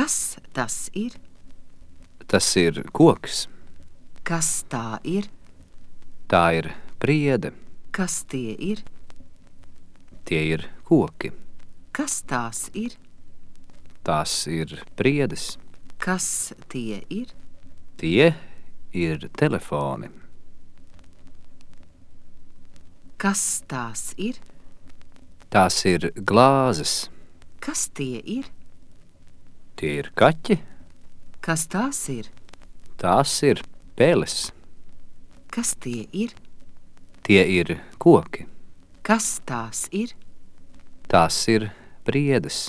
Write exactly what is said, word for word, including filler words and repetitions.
Kas tas ir? Tas ir koks. Kas tā ir? Tā ir priede. Kas tie ir? Tie ir koki. Kas tās ir? Tās ir priedes. Kas tie ir? Tie ir telefoni. Kas tās ir? Tās ir glāzes. Kas tie ir? Tie ir kaķi. Kas tās ir? Tās ir peles. Kas tie ir? Tie ir koki. Kas tās ir? Tās ir priedes.